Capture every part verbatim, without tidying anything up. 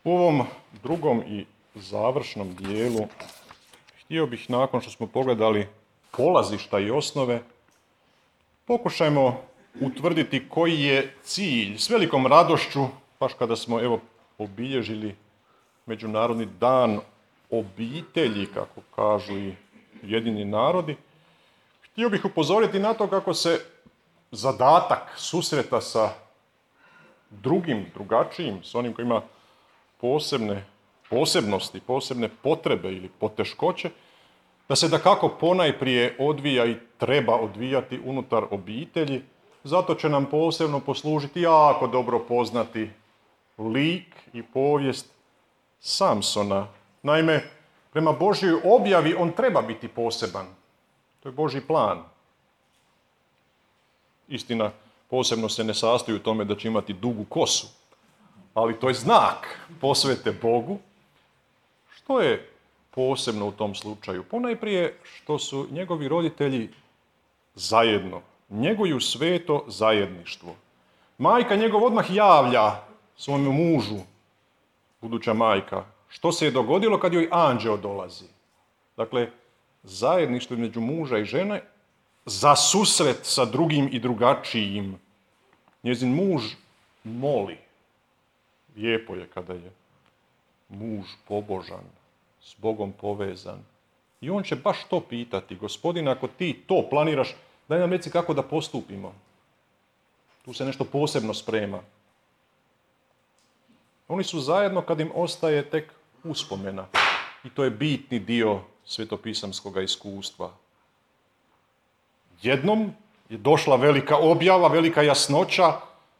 U ovom drugom i završnom dijelu htio bih, nakon što smo pogledali polazišta i osnove, pokušajmo utvrditi koji je cilj. S velikom radošću, baš kada smo evo obilježili Međunarodni dan obitelji, kako kažu i Ujedinjeni narodi, htio bih upozoriti na to kako se zadatak susreta sa drugim, drugačijim, s onim koji ima posebne posebnosti, posebne potrebe ili poteškoće, da se dakako ponajprije odvija i treba odvijati unutar obitelji. Zato će nam posebno poslužiti jako dobro poznati lik i povijest Samsona. Naime, prema Božjoj objavi on treba biti poseban. To je Božji plan. Istina, posebno se ne sastoji u tome da će imati dugu kosu, ali to je znak posvete Bogu. Što je posebno u tom slučaju? Ponajprije što su njegovi roditelji zajedno, njeguju sveto zajedništvo. Majka njegov odmah javlja svom mužu, buduća majka, što se je dogodilo kad joj anđeo dolazi. Dakle, zajedništvo između muža i žene za susret sa drugim i drugačijim. Njezin muž moli. Lijepo je kada je muž pobožan, s Bogom povezan. I on će baš to pitati. Gospodine, ako ti to planiraš, daj nam reci kako da postupimo. Tu se nešto posebno sprema. Oni su zajedno kad im ostaje tek uspomena. I to je bitni dio svetopisamskog iskustva. Jednom je došla velika objava, velika jasnoća,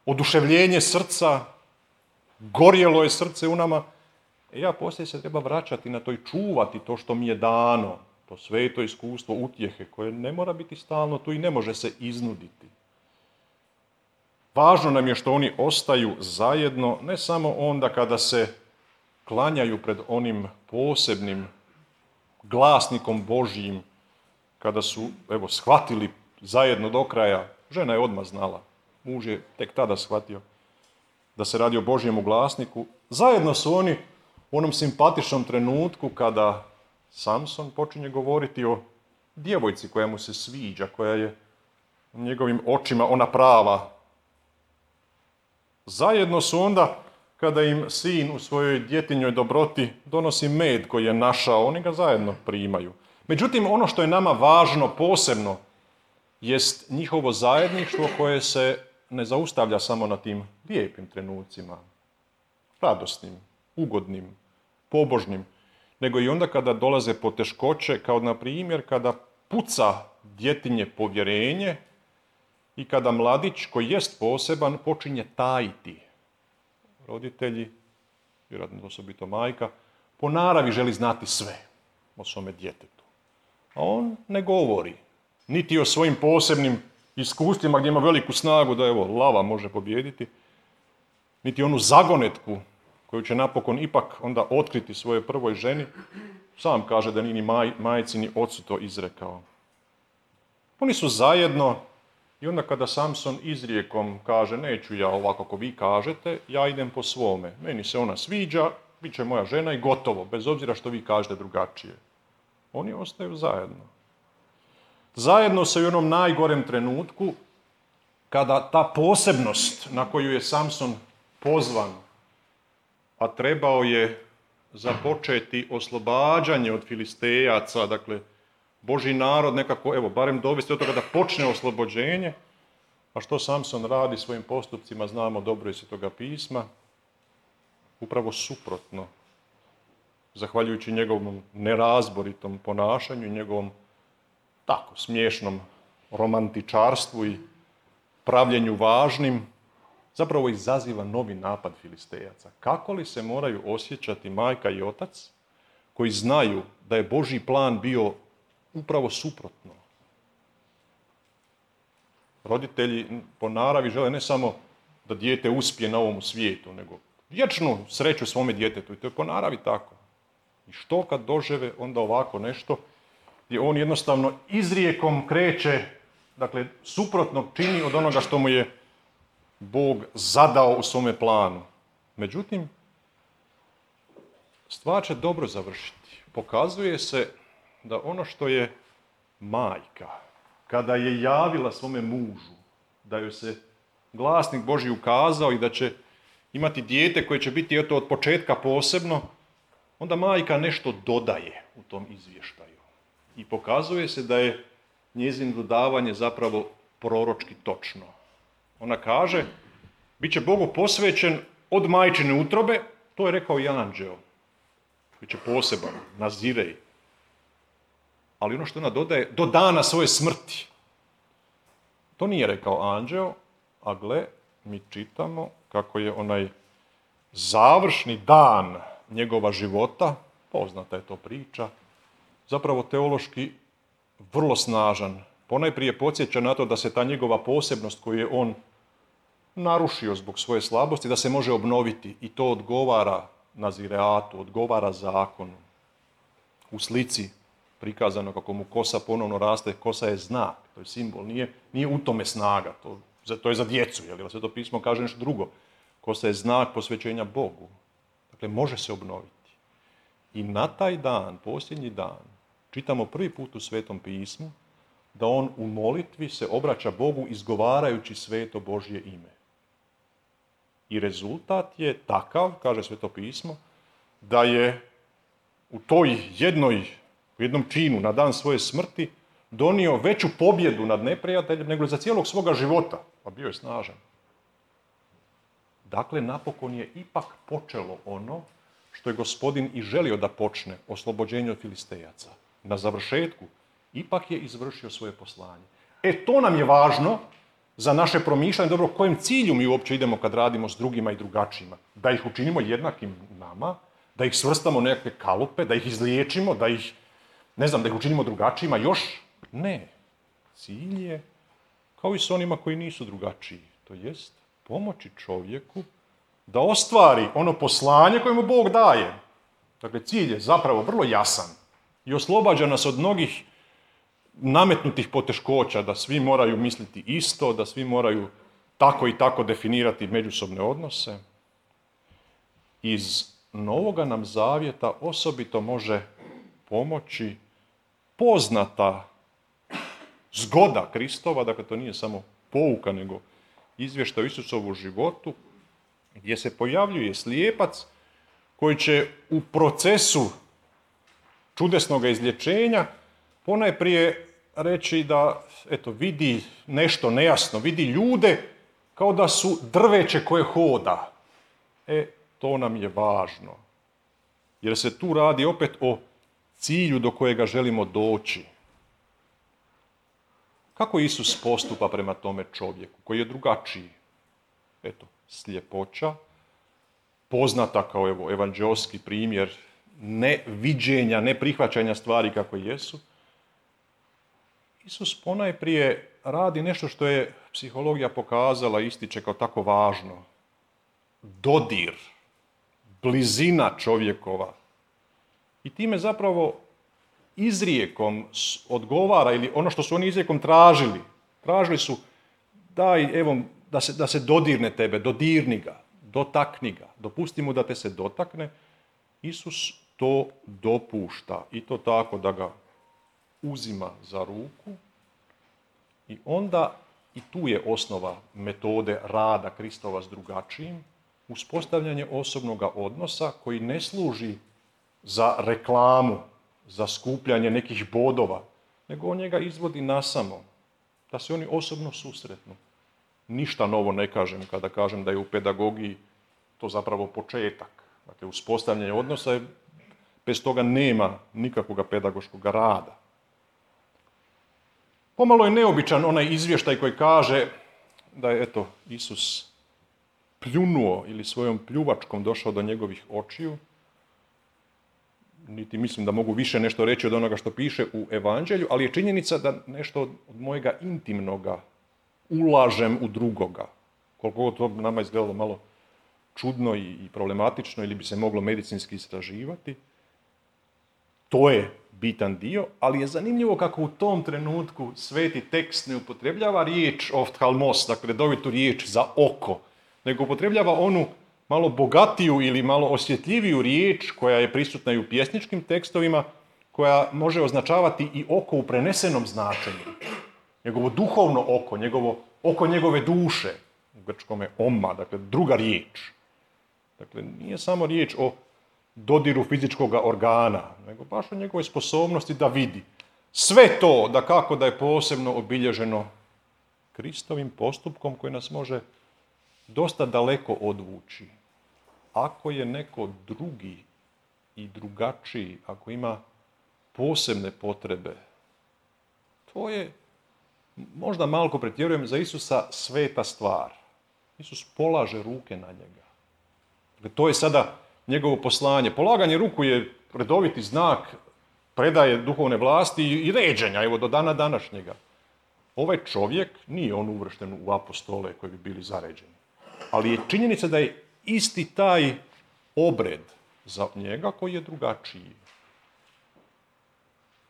oduševljenje srca, gorjelo je srce u nama. E ja poslije se treba vraćati na to i čuvati to što mi je dano, to sveto iskustvo utjehe koje ne mora biti stalno tu i ne može se iznuditi. Važno nam je što oni ostaju zajedno, ne samo onda kada se klanjaju pred onim posebnim glasnikom Božjim, kada su, evo, shvatili zajedno do kraja. Žena je odmah znala, muž je tek tada shvatio da se radi o Božjemu glasniku. Zajedno su oni u onom simpatičnom trenutku kada Samson počinje govoriti o djevojci koja mu se sviđa, koja je u njegovim očima ona prava. Zajedno su onda kada im sin u svojoj djetinjoj dobroti donosi med koji je našao, oni ga zajedno primaju. Međutim, ono što je nama važno posebno jest njihovo zajedništvo koje se ne zaustavlja samo na tim lijepim trenucima, radosnim, ugodnim, pobožnim, nego i onda kada dolaze poteškoće, kao na primjer kada puca djetinje povjerenje i kada mladić koji jest poseban počinje tajiti. Roditelji, vjerojatno osobito majka, po naravi želi znati sve o svome djetetu. A on ne govori niti o svojim posebnim iskustvima gdje ima veliku snagu da evo lava može pobijediti, niti onu zagonetku koju će napokon ipak onda otkriti svojoj prvoj ženi. Sam kaže da ni ni maj, majci ni ocu to izrekao. Oni su zajedno i onda kada Samson izrijekom kaže neću ja ovako kako vi kažete, ja idem po svome. Meni se ona sviđa, bit će moja žena i gotovo, bez obzira što vi kažete drugačije. Oni ostaju zajedno. Zajedno se u onom najgorem trenutku, kada ta posebnost na koju je Samson pozvan, a trebao je započeti oslobađanje od Filistejaca, dakle, Božji narod nekako, evo, barem dovesti od toga da počne oslobođenje, a što Samson radi svojim postupcima, znamo dobro iz Svetoga pisma, upravo suprotno, zahvaljujući njegovom nerazboritom ponašanju i njegovom tako smiješnom romantičarstvu i pravljenju važnim, zapravo izaziva novi napad Filistejaca. Kako li se moraju osjećati majka i otac koji znaju da je Božji plan bio upravo suprotno? Roditelji po naravi žele ne samo da dijete uspije na ovom svijetu, nego vječnu sreću svome djetetu. I to je po naravi tako. I što kad dožive onda ovako nešto gdje on jednostavno izrijekom kreće, dakle, suprotno čini od onoga što mu je Bog zadao u svome planu. Međutim, stvar će dobro završiti. Pokazuje se da ono što je majka, kada je javila svome mužu, da joj se glasnik Božji ukazao i da će imati dijete koje će biti eto, od početka posebno, onda majka nešto dodaje u tom izvještaju. I pokazuje se da je njezino dodavanje zapravo proročki točno. Ona kaže, bit će Bogu posvećen od majčine utrobe, to je rekao i anđeo. Bit će poseban, nazirej. Ali ono što ona dodaje, do dana svoje smrti. To nije rekao anđeo, a gle, mi čitamo kako je onaj završni dan njegova života, poznata je to priča, zapravo teološki vrlo snažan. Ponajprije podsjeća na to da se ta njegova posebnost koju je on narušio zbog svoje slabosti, da se može obnoviti i to odgovara nazireatu, odgovara zakonu. U slici prikazano kako mu kosa ponovno raste, kosa je znak, to je simbol, nije, nije u tome snaga, to, to je za djecu, jer Sveto pismo kaže nešto drugo. Kosa je znak posvećenja Bogu, dakle može se obnoviti. I na taj dan, posljednji dan, čitamo prvi put u Svetom pismu da on u molitvi se obraća Bogu izgovarajući sveto Božje ime. I rezultat je takav, kaže Sveto pismo, da je u toj jednoj, u jednom činu na dan svoje smrti donio veću pobjedu nad neprijateljem nego za cijelog svoga života, a bio je snažan. Dakle, napokon je ipak počelo ono što je Gospodin i želio da počne, oslobođenje od Filistejaca. Na završetku ipak je izvršio svoje poslanje. E, to nam je važno za naše promišljanje, dobro, kojem cilju mi uopće idemo kad radimo s drugima i drugačijima. Da ih učinimo jednakim nama, da ih svrstamo u nekakve kalupe, da ih izliječimo, da ih, ne znam, da ih učinimo drugačijima, još ne. Cilj je, kao i s onima koji nisu drugačiji, to jest pomoći čovjeku da ostvari ono poslanje koje mu Bog daje. Dakle, cilj je zapravo vrlo jasan i oslobađa nas od mnogih nametnutih poteškoća, da svi moraju misliti isto, da svi moraju tako i tako definirati međusobne odnose. Iz Novoga nam zavjeta osobito može pomoći poznata zgoda Kristova, dakle to nije samo pouka, nego izvještaj o Isusovu životu, gdje se pojavljuje slijepac koji će u procesu čudesnog izlječenja ponajprije reći da eto, vidi nešto nejasno, vidi ljude kao da su drveće koje hoda. E, to nam je važno. Jer se tu radi opet o cilju do kojega želimo doći. Kako Isus postupa prema tome čovjeku koji je drugačiji? Eto, sljepoća, poznata kao evo, evanđeoski primjer neviđenja, neprihvaćanja stvari kako jesu. Isus ponajprije radi nešto što je psihologija pokazala, ističe kao tako važno. Dodir, blizina čovjekova. I time zapravo izrijekom odgovara, ili ono što su oni izrijekom tražili. Tražili su, daj, evo, da se, da se dodirne tebe, dodirni ga, dotakni ga, dopusti mu da te se dotakne. Isus to dopušta i to tako da ga uzima za ruku i onda, i tu je osnova metode rada Kristova s drugačijim, uspostavljanje osobnog odnosa koji ne služi za reklamu, za skupljanje nekih bodova, nego on njega izvodi nasamo, da se oni osobno susretnu. Ništa novo ne kažem kada kažem da je u pedagogiji to zapravo početak. Dakle, uspostavljanje odnosa je, bez toga nema nikakvog pedagoškog rada. Pomalo je neobičan onaj izvještaj koji kaže da je, eto, Isus pljunuo ili svojom pljuvačkom došao do njegovih očiju. Niti mislim da mogu više nešto reći od onoga što piše u Evanđelju, ali je činjenica da nešto od, od mojega intimnoga ulažem u drugoga. Koliko to nama izgledalo malo čudno i, i problematično ili bi se moglo medicinski istraživati. To je bitan dio, ali je zanimljivo kako u tom trenutku sveti tekst ne upotrebljava riječ ofthalmos, dakle redovitu riječ za oko, nego upotrebljava onu malo bogatiju ili malo osjetljiviju riječ koja je prisutna i u pjesničkim tekstovima, koja može označavati i oko u prenesenom značenju. Njegovo duhovno oko, njegovo oko njegove duše, u grčkom je oma, dakle druga riječ. Dakle, nije samo riječ o dodiru fizičkog organa, nego baš o njegovoj sposobnosti da vidi. Sve to, da kako da je posebno obilježeno Kristovim postupkom koji nas može dosta daleko odvući. Ako je neko drugi i drugačiji, ako ima posebne potrebe, to je, možda malko pretjerujem, za Isusa sveta stvar. Isus polaže ruke na njega. Dakle, to je sada njegovo poslanje. Polaganje ruku je redoviti znak predaje duhovne vlasti i ređenja, evo do dana današnjega. Ovaj čovjek nije on uvršten u apostole koji bi bili zaređeni. Ali je činjenica da je isti taj obred za njega koji je drugačiji.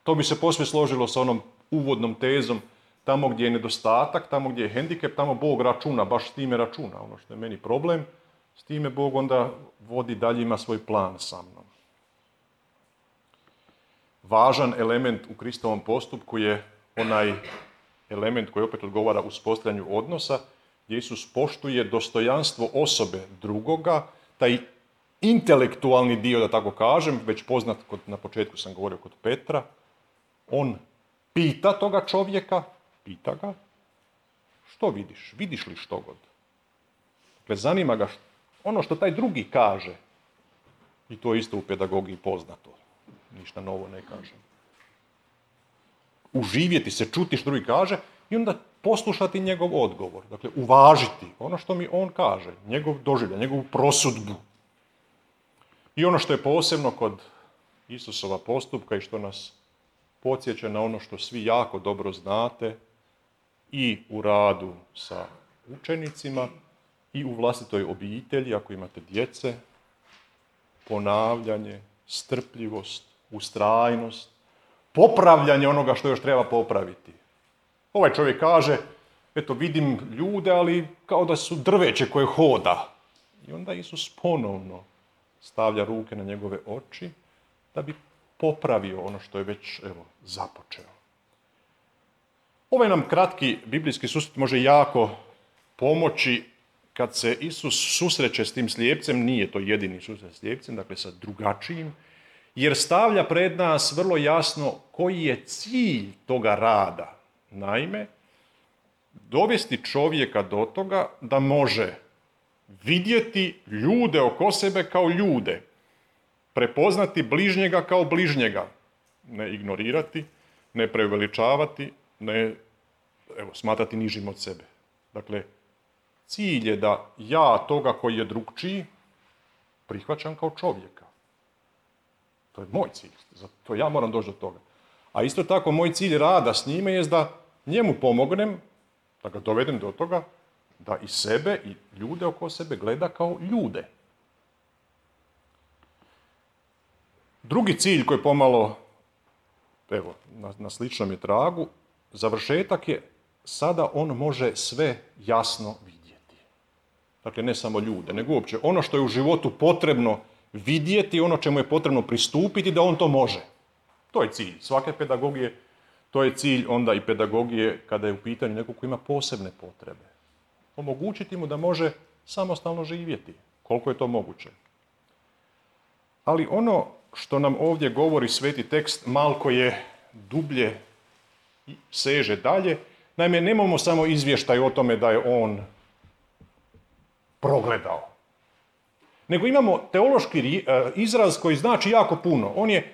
To bi se posve složilo sa onom uvodnom tezom, tamo gdje je nedostatak, tamo gdje je hendikep, tamo Bog računa, baš s time računa. Ono što je meni problem, s time Bog onda vodi dalje, ima svoj plan sa mnom. Važan element u Kristovom postupku je onaj element koji opet odgovara uspostavljanju odnosa, gdje Isus poštuje dostojanstvo osobe drugoga, taj intelektualni dio, da tako kažem, već poznat, kod, na početku sam govorio kod Petra, on pita toga čovjeka, pita ga, što vidiš? Vidiš li što god? Dakle, zanima ga ono što taj drugi kaže. I to isto u pedagogiji poznato. Ništa novo ne kažem. Uživjeti se, čuti što drugi kaže i onda poslušati njegov odgovor. Dakle, uvažiti ono što mi on kaže, njegov doživljaj, njegovu prosudbu. I ono što je posebno kod Isusova postupka i što nas podsjeća na ono što svi jako dobro znate i u radu sa učenicima i u vlastitoj obitelji, ako imate djece, ponavljanje, strpljivost, ustrajnost, popravljanje onoga što još treba popraviti. Ovaj čovjek kaže, eto vidim ljude, ali kao da su drveće koje hoda. I onda Isus ponovno stavlja ruke na njegove oči da bi popravio ono što je već, evo, započeo. Ovaj nam kratki biblijski susret može jako pomoći kad se Isus susreće s tim slijepcem, nije to jedini susret s slijepcem, dakle sa drugačijim, jer stavlja pred nas vrlo jasno koji je cilj toga rada. Naime, dovesti čovjeka do toga da može vidjeti ljude oko sebe kao ljude, prepoznati bližnjega kao bližnjega, ne ignorirati, ne preuveličavati, ne evo, smatrati nižim od sebe. Dakle, cilj je da ja toga koji je drugčiji prihvaćam kao čovjeka. To je moj cilj, zato ja moram doći do toga. A isto tako moj cilj rada s njime je da njemu pomognem, da ga dovedem do toga, da i sebe i ljude oko sebe gleda kao ljude. Drugi cilj koji je pomalo, evo, na, na sličnom je tragu, završetak je, sada on može sve jasno vidjeti. Dakle, ne samo ljude, nego uopće ono što je u životu potrebno vidjeti, ono čemu je potrebno pristupiti, da on to može. To je cilj svake pedagogije, to je cilj onda i pedagogije kada je u pitanju neko ko ima posebne potrebe. Omogućiti mu da može samostalno živjeti, koliko je to moguće. Ali ono što nam ovdje govori sveti tekst malko je dublje i seže dalje. Naime, nemamo samo izvještaj o tome da je on progledao. Nego imamo teološki izraz koji znači jako puno. On je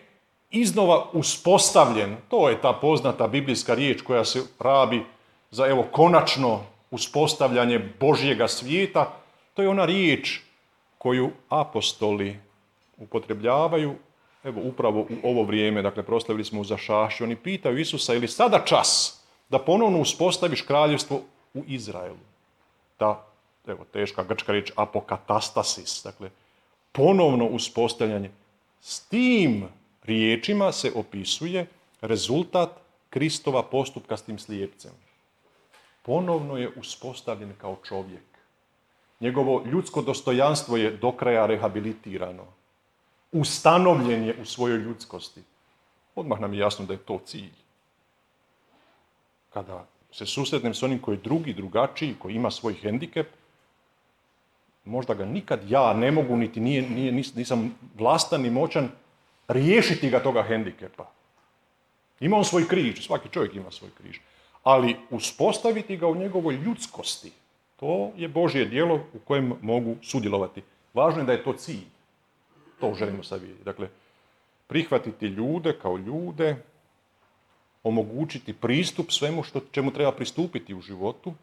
iznova uspostavljen. To je ta poznata biblijska riječ koja se rabi za evo konačno uspostavljanje Božjega svijeta. To je ona riječ koju apostoli upotrebljavaju evo upravo u ovo vrijeme. Dakle, proslavili smo u Zašašću. Oni pitaju Isusa, je li sada čas da ponovno uspostaviš kraljevstvo u Izraelu? Ta, evo, teška grčka riječ apokatastasis, dakle, ponovno uspostavljanje. S tim riječima se opisuje rezultat Kristova postupka s tim slijepcem. Ponovno je uspostavljen kao čovjek. Njegovo ljudsko dostojanstvo je do kraja rehabilitirano. Ustanovljen je u svojoj ljudskosti. Odmah nam je jasno da je to cilj. Kada se susretnem s onim koji je drugi, drugačiji, koji ima svoj hendikep, možda ga nikad ja ne mogu, niti nije, nije, nisam vlastan ni moćan, riješiti ga toga hendikepa. Ima on svoj križ, svaki čovjek ima svoj križ. Ali uspostaviti ga u njegovoj ljudskosti, to je Božje djelo u kojem mogu sudjelovati. Važno je da je to cilj. To želimo sad vidjeti. Dakle, prihvatiti ljude kao ljude, omogućiti pristup svemu što, čemu treba pristupiti u životu,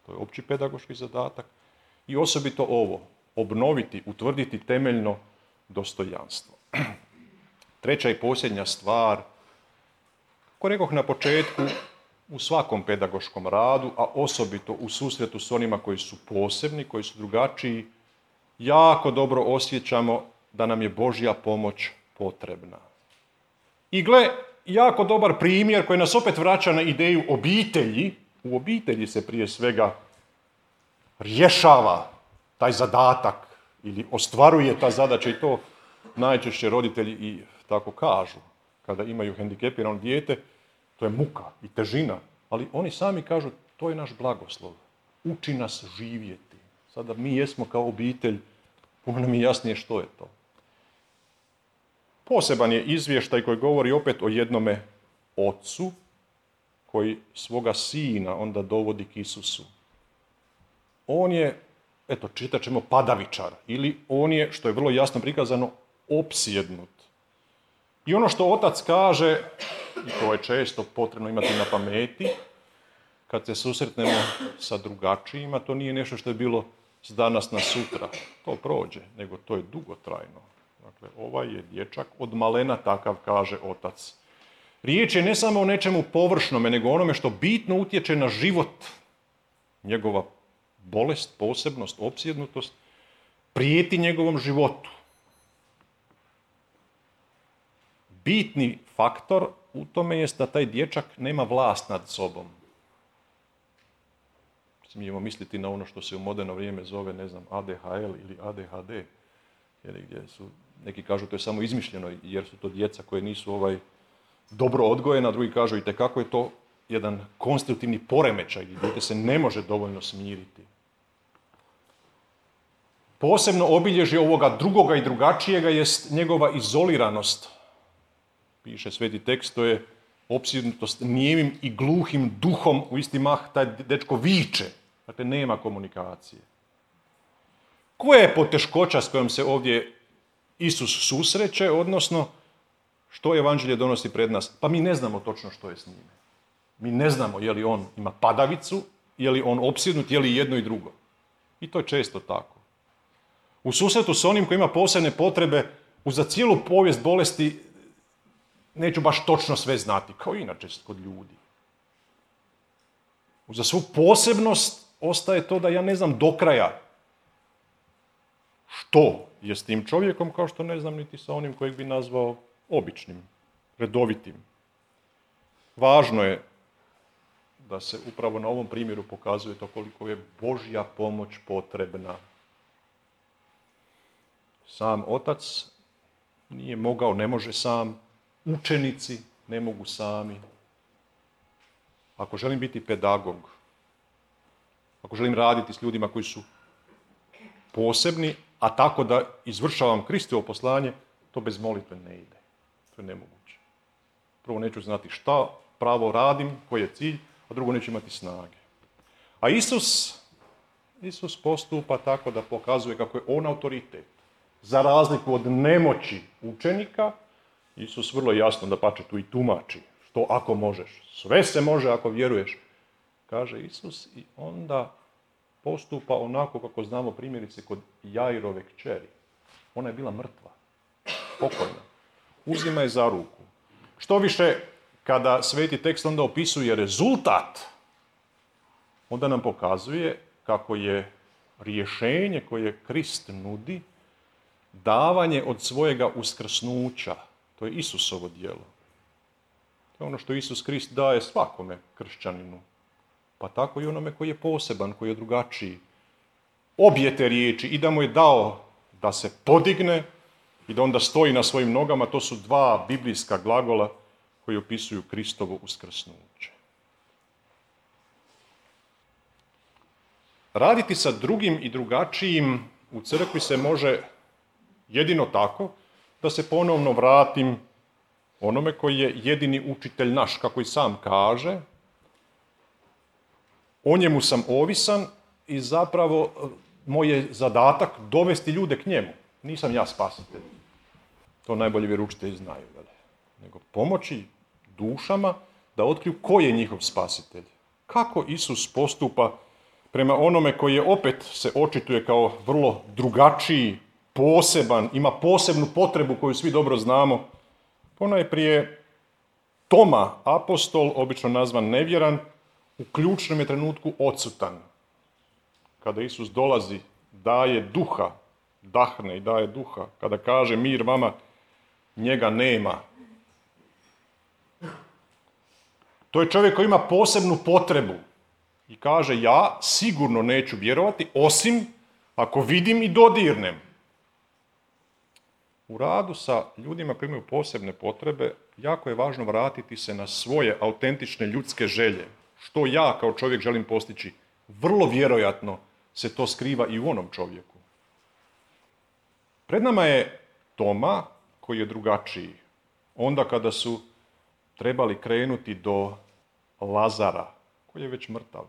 to je opći pedagoški zadatak, i osobito ovo, obnoviti, utvrditi temeljno dostojanstvo. Treća i posljednja stvar, kako rekoh na početku, u svakom pedagoškom radu, a osobito u susretu s onima koji su posebni, koji su drugačiji, jako dobro osjećamo da nam je Božja pomoć potrebna. I gle, jako dobar primjer koji nas opet vraća na ideju obitelji. U obitelji se prije svega rješava taj zadatak ili ostvaruje ta zadaća, i to najčešće roditelji i tako kažu. Kada imaju hendikepirano dijete, to je muka i težina, ali oni sami kažu to je naš blagoslov. Uči nas živjeti. Sada mi jesmo kao obitelj, puno nam je jasnije što je to. Poseban je izvještaj koji govori opet o jednome ocu koji svoga sina onda dovodi k Isusu. On je, eto, čitat ćemo padavičar, ili on je, što je vrlo jasno prikazano, opsjednut. I ono što otac kaže, i to je često potrebno imati na pameti, kad se susretnemo sa drugačijima, to nije nešto što je bilo s danas na sutra. To prođe, nego to je dugotrajno. Dakle, ovaj je dječak od malena takav, kaže otac. Riječ je ne samo o nečemu površnome, nego onome što bitno utječe na život. Njegova bolest, posebnost, opsjednutost, prijeti njegovom životu. Bitni faktor u tome jest da taj dječak nema vlast nad sobom. Smijemo misliti na ono što se u moderno vrijeme zove, ne znam, A D H L ili A D H D, jer gdje su, neki kažu to je samo izmišljeno jer su to djeca koje nisu ovaj dobro odgojena, drugi kažu i tekako je to jedan konstruktivni poremećaj gdje dijete se ne može dovoljno smiriti. Posebno obilježje ovoga drugoga i drugačijega jest njegova izoliranost. Piše sveti tekst, to je opsjednutost nijemim i gluhim duhom, u isti mah taj dečko viče. Dakle, nema komunikacije. Koja je poteškoća s kojom se ovdje Isus susreće, odnosno što evanđelje donosi pred nas? Pa mi ne znamo točno što je s njime. Mi ne znamo je li on ima padavicu, je li on opsjednut, je li jedno i drugo. I to je često tako. U susretu s onim koji ima posebne potrebe, uza cijelu povijest bolesti, neću baš točno sve znati, kao inače kod ljudi. Uza svu posebnost ostaje to da ja ne znam do kraja što je s tim čovjekom, kao što ne znam niti sa onim kojeg bi nazvao običnim, redovitim. Važno je da se upravo na ovom primjeru pokazuje to koliko je Božja pomoć potrebna. Sam otac nije mogao, ne može sam, učenici ne mogu sami. Ako želim biti pedagog, ako želim raditi s ljudima koji su posebni, a tako da izvršavam Kristovo poslanje, to bez molitve ne ide. To je nemoguće. Prvo neću znati šta pravo radim, koji je cilj, a drugo neću imati snage. A Isus, Isus postupa tako da pokazuje kako je on autoritet. Za razliku od nemoći učenika, Isus vrlo jasno da pače tu i tumači. Što ako možeš? Sve se može ako vjeruješ. Kaže Isus i onda postupa onako kako znamo primjerice kod Jairove kćeri. Ona je bila mrtva, pokojna. Uzima je za ruku. Što više, kada sveti tekst onda opisuje rezultat, onda nam pokazuje kako je rješenje koje Krist nudi davanje od svojega uskrsnuća. To je Isusovo djelo. To je ono što Isus Krist daje svakome kršćaninu. Pa tako i onome koji je poseban, koji je drugačiji. obje te riječi i da mu je dao da se podigne i da onda stoji na svojim nogama, to su dva biblijska glagola koji opisuju Kristovo uskrsnuće. Raditi sa drugim i drugačijim u crkvi se može jedino tako da se ponovno vratim onome koji je jedini učitelj naš, kako i sam kaže. O njemu sam ovisan i zapravo moj je zadatak dovesti ljude k njemu. Nisam ja spasitelj. To najbolje vjeroučitelji znaju. Nego pomoći dušama da otkriju ko je njihov spasitelj. Kako Isus postupa prema onome koji je opet se očituje kao vrlo drugačiji, poseban, ima posebnu potrebu koju svi dobro znamo. Ponajprije Toma, apostol, obično nazvan nevjeran, u ključnom je trenutku odsutan. Kada Isus dolazi, daje duha, dahne i daje duha. Kada kaže mir vama, njega nema. To je čovjek koji ima posebnu potrebu i kaže ja sigurno neću vjerovati osim ako vidim i dodirnem. U radu sa ljudima koji imaju posebne potrebe jako je važno vratiti se na svoje autentične ljudske želje. Što ja kao čovjek želim postići, vrlo vjerojatno se to skriva i u onom čovjeku. Pred nama je Toma koji je drugačiji. Onda kada su trebali krenuti do Lazara, koji je već mrtav.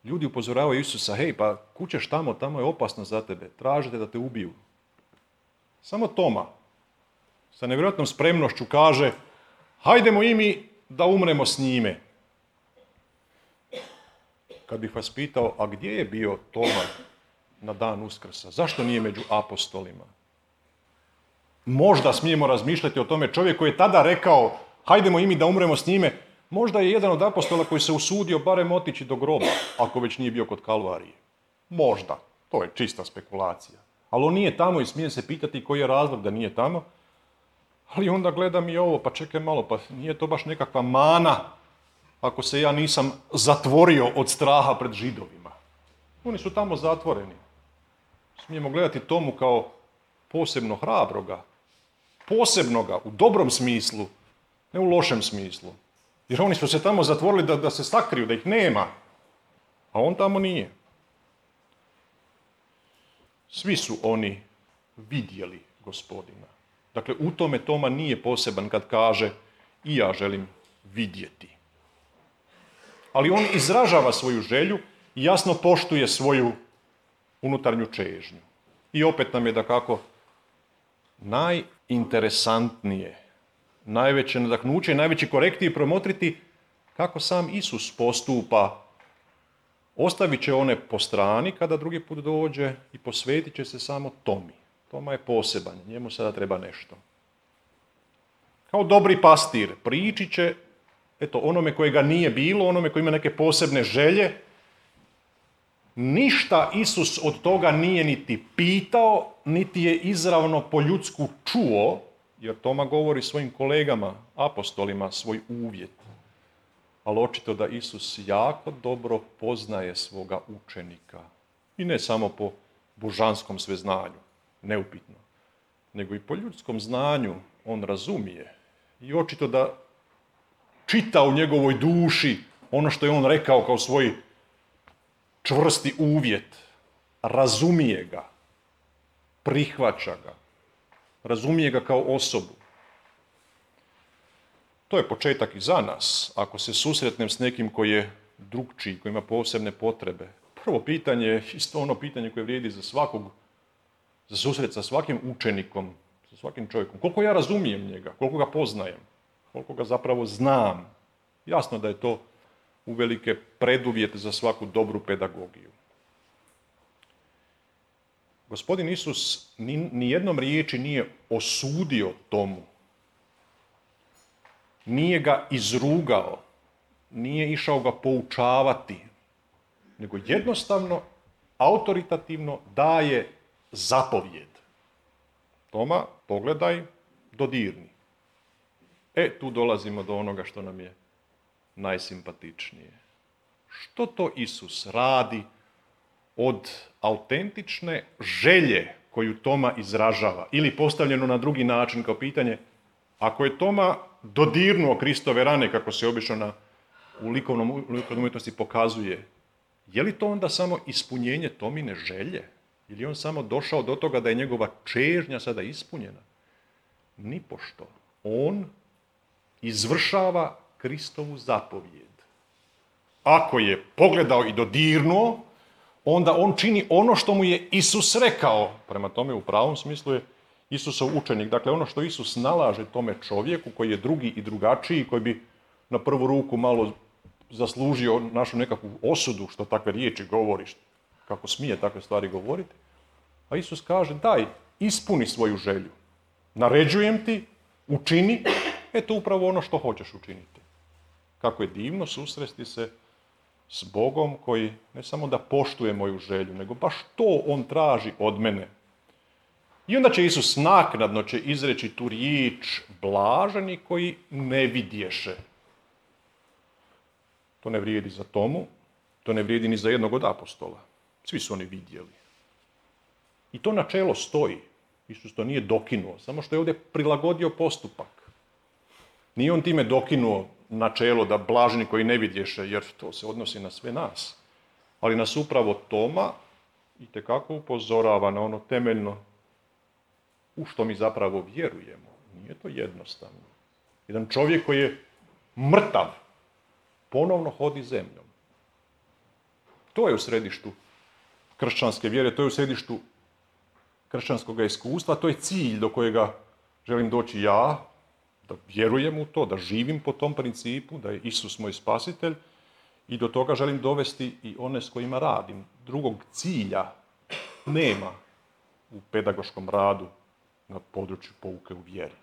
Ljudi upozoravaju Isusa, hej, pa kućeš tamo, tamo je opasno za tebe, tražite da te ubiju. Samo Toma sa nevjerojatnom spremnošću kaže, hajdemo i mi da umremo s njime. Kad bih vas pitao, a gdje je bio Toma na dan Uskrsa? Zašto nije među apostolima? Možda smijemo razmišljati o tome, čovjek koji je tada rekao, hajdemo i mi da umremo s njime, možda je jedan od apostola koji se usudio barem otići do groba, ako već nije bio kod Kalvarije. Možda, to je čista spekulacija. Ali on nije tamo i smijem se pitati koji je razlog da nije tamo. Ali onda gledam i ovo, pa čekaj malo, pa nije to baš nekakva mana ako se ja nisam zatvorio od straha pred Židovima. Oni su tamo zatvoreni. Smijemo gledati Tomu kao posebno hrabroga, posebnoga u dobrom smislu, ne u lošem smislu. Jer oni su se tamo zatvorili da, da se sakriju, da ih nema. A on tamo nije. Svi su oni vidjeli Gospodina. Dakle, u tome Toma nije poseban kad kaže i ja želim vidjeti. Ali on izražava svoju želju i jasno poštuje svoju unutarnju čežnju. I opet nam je dakako najinteresantnije, najveće nadahnuće i najveći korektiv promotriti kako sam Isus postupa. Ostavit će one po strani kada drugi put dođe i posvetit će se samo Tomi. Toma je poseban, njemu sada treba nešto. Kao dobri pastir priči će eto, onome kojega nije bilo, onome koji ima neke posebne želje. Ništa Isus od toga nije niti pitao, niti je izravno po ljudsku čuo, jer Toma govori svojim kolegama, apostolima, svoj uvjet. Ali očito da Isus jako dobro poznaje svoga učenika. I ne samo po božanskom sveznanju, neupitno, nego i po ljudskom znanju on razumije. I očito da čita u njegovoj duši ono što je on rekao kao svoj čvrsti uvjet. Razumije ga, prihvaća ga, razumije ga kao osobu. To je početak i za nas. Ako se susretnem s nekim koji je drugčiji, koji ima posebne potrebe, prvo pitanje je isto ono pitanje koje vrijedi za svakog, za susret sa svakim učenikom, sa svakim čovjekom. Koliko ja razumijem njega, koliko ga poznajem, koliko ga zapravo znam. Jasno da je to uvelike preduvjet za svaku dobru pedagogiju. Gospodin Isus ni, ni jednom riječi nije osudio Tomu. Nije ga izrugao, nije išao ga poučavati, nego jednostavno, autoritativno daje zapovjed. Toma, pogledaj, dodirni. E, tu dolazimo do onoga što nam je najsimpatičnije. Što to Isus radi od autentične želje koju Toma izražava. Ili postavljeno na drugi način kao pitanje, ako je Toma dodirnuo Kristove rane, kako se obično na, u likovnom, likovnom umjetnosti pokazuje, je li to onda samo ispunjenje Tomine želje? Ili je on samo došao do toga da je njegova čežnja sada ispunjena? Nipošto. On izvršava Kristovu zapovijed. Ako je pogledao i dodirnuo, onda on čini ono što mu je Isus rekao. Prema tome, u pravom smislu je Isusov učenik. Dakle, ono što Isus nalaže tome čovjeku koji je drugi i drugačiji, koji bi na prvu ruku malo zaslužio našu nekakvu osudu, što takve riječi govori, kako smije takve stvari govoriti. A Isus kaže, daj, ispuni svoju želju. Naređujem ti, učini, eto upravo ono što hoćeš učiniti. Kako je divno susresti se s Bogom koji ne samo da poštuje moju želju, nego baš to on traži od mene. I onda će Isus naknadno će izreći tu riječ blaženi koji ne vidješe. To ne vrijedi za Tomu, to ne vrijedi ni za jednog od apostola. Svi su oni vidjeli. I to načelo stoji. Isus to nije dokinuo, samo što je ovdje prilagodio postupak. Nije on time dokinuo načelo da blaženi koji ne vidješe, jer to se odnosi na sve nas. Ali nas upravo Toma itekako upozorava na ono temeljno u što mi zapravo vjerujemo. Nije to jednostavno. Jedan čovjek koji je mrtav, ponovno hodi zemljom. To je u središtu kršćanske vjere, to je u središtu kršćanskog iskustva, to je cilj do kojega želim doći ja, da vjerujem u to, da živim po tom principu, da je Isus moj spasitelj i do toga želim dovesti i one s kojima radim. Drugog cilja nema u pedagoškom radu na području pouke u vjeri.